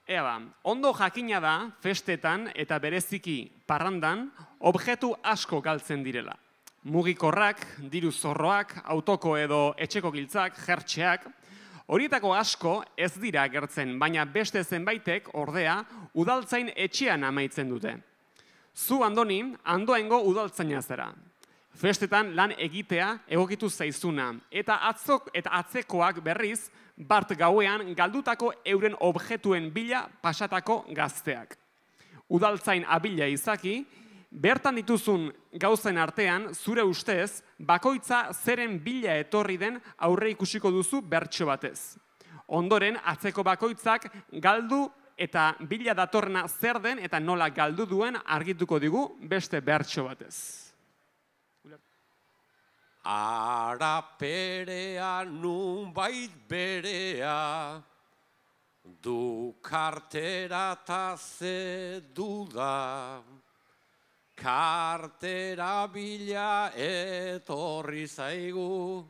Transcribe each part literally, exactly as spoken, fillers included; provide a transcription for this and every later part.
ea ba, ondo jakina da, festetan eta bereziki parrandan, objektu asko galtzen direla. Mugikorrak, diru zorroak, autoko edo etxeko giltzak, jertxeak, horietako asko ez dira agertzen, baina beste zenbaitek, ordea, udaltzain etxean amaitzen dute. Zu, Andoni, Andoaingo udaltzaina zera. Festetan lan egitea egokitu zaizuna, eta atzok eta atzekoak berriz, bart gauean galdutako euren objektuen bila pasatako gazteak. Udaltzain abila izaki, bertan dituzun gauzen artean, zure ustez, bakoitza zeren bila etorri den aurre ikusiko duzu bertso batez. Ondoren, atzeko bakoitzak galdu eta bila datorrena zer den eta nola galdu duen argituko digu beste bertso batez. Ara perea nunbait berea, du kartera ta ze duda. Kartera bila etorri zaigu,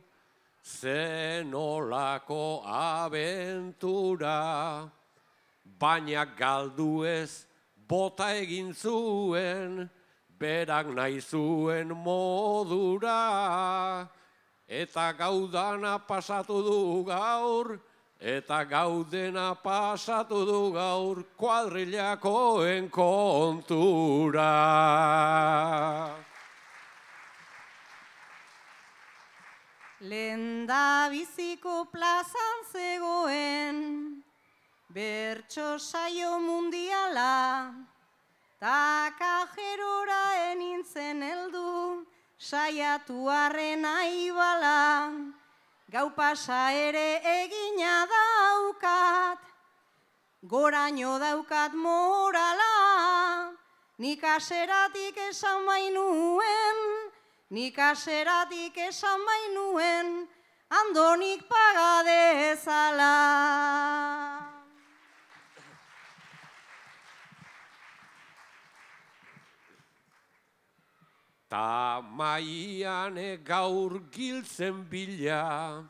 zenolako abentura. Baina galdu ez bota egin zuen, berak nahi zuen modura. Eta gaudana pasatu du gaur, eta gaudena pasatu du gaur, kuadrilakoen kontura. Lenda biziko plazan zegoen, bertso saio mundiala, ta kajerora enintzen heldu, saiatu arren aibala, gau pasa ere egina daukat, goraino daukat morala, nik aseratik esan bainuen, nik aseratik esan bainuen, Andonik paga dezala. Ta maian gaur giltzen bila,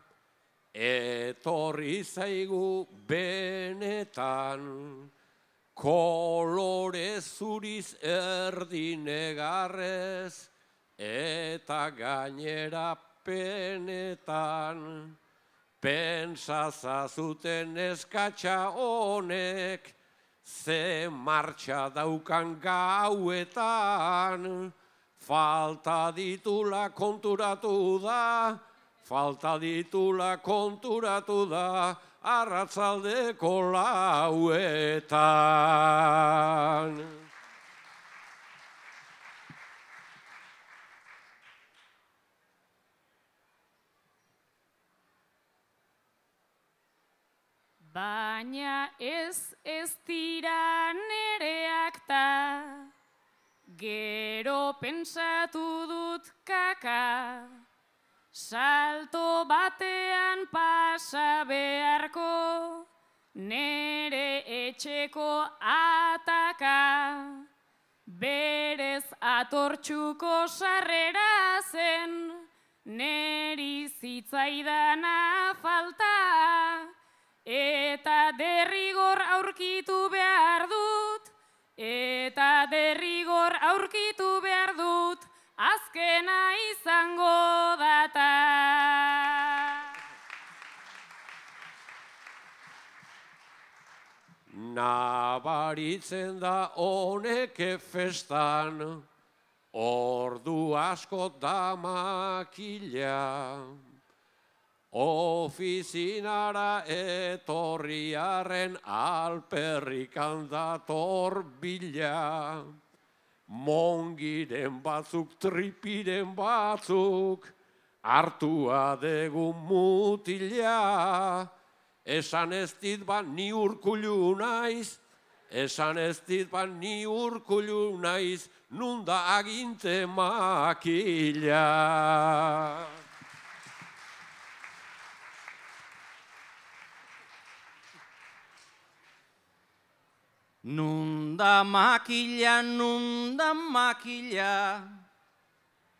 etorri zaigu benetan, kolore zuriz erdinegarrez, eta gainera penetan. Pentsazazuten eskatxa honek, ze martxa daukan gauetan, falta ditula konturatu da, falta ditula konturatu da, arratzaldeko lauetan. Baina ez ez dira nereak ta, gero pentsatu dut kaka, salto batean pasa beharko, nere etxeko ataka, berez atortxuko sarrera zen, neri zitzaidana falta, eta derrigor aurkitu behar dut, eta derrigor aurkitu behar dut, azkena izango data. Nabaritzen da honek festan, ordu asko da makila. Ofizinara etorriaren alperrikan dator bila. Mongiren batzuk, tripiren batzuk, hartua dugu mutila. Esan ez dit ba ni urkullu naiz, esan ez dit ba ni urkullu naiz, nunda aginte makila. Nunda makila, nunda makila,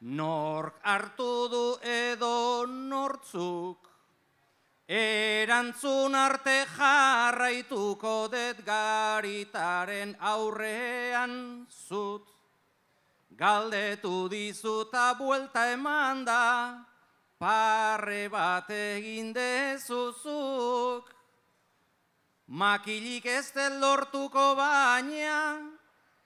nork hartu du edo nortzuk, Erantzun arte jarraituko det garitaren aurrean zut. Galdetu dizuta buelta eman da, parre bat egin dezuzuk. Makilik ez dut lortuko baina,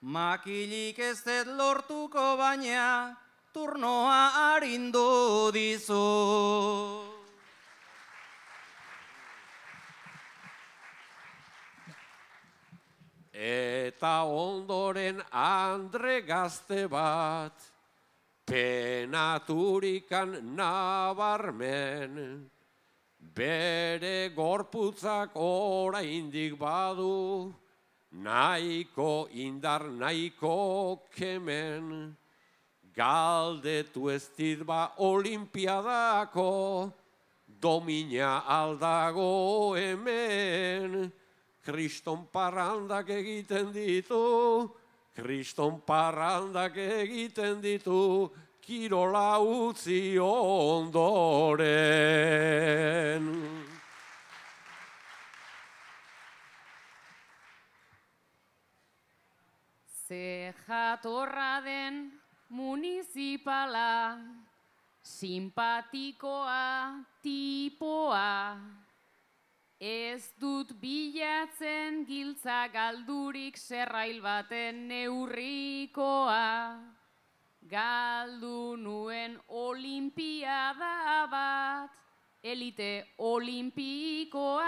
makilik ez dut lortuko baina, turnoa arindu dizut. Eta ondoren andre gazte bat, penaturikan nabarmen, bere gorputzak oraindik badu, nahiko indar nahiko kemen, galdetu ez dit ba olimpiadako, domina aldago hemen, kriston parrandak egiten ditu, kriston parrandak egiten ditu, kirola utzi ondoren. Ze jatorra den municipala, simpatikoa tipoa, ez dut bilatzen giltza galdurik zerrail baten neurrikoa. Galdu nuen olimpiada bat, elite olimpikoa.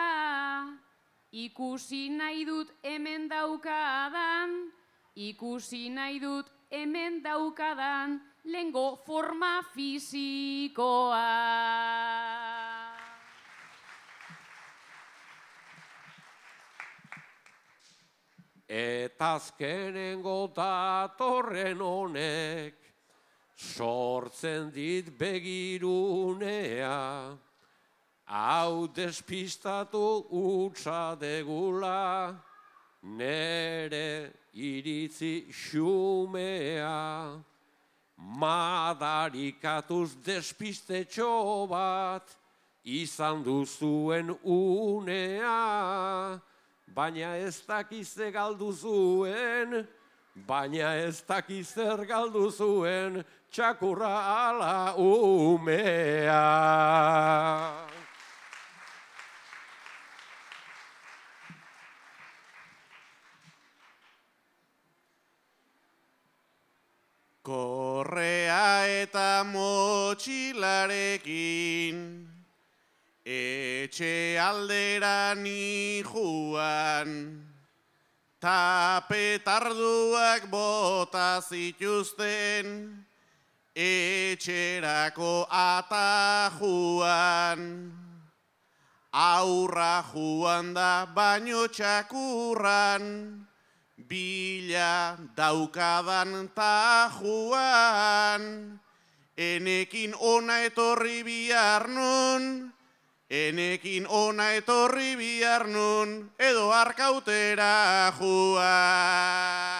Ikusi nahi dut hemen daukadan, ikusi nahi dut hemen daukadan, lehengo forma fisikoa. Eta azkenengo datorren honek, sortzen dit begirunea, hau despistatu utza degula, nere iritzi xumea, madarikatuz despistetxo bat, izan duzuen unea, baina ez dakize galdu zuen, baina ez dakizer galdu zuen, txakurra ala umea. Korrea eta motxilarekin, etxe aldera ni juan, ta petarduak bota zituzten, etxerako atajuan. Aurra juan da baino txakurran, bila daukadan ta juan. Enekin ona etorri bihar nun, enekin ona etorri bihar nun, edo arkautera juan.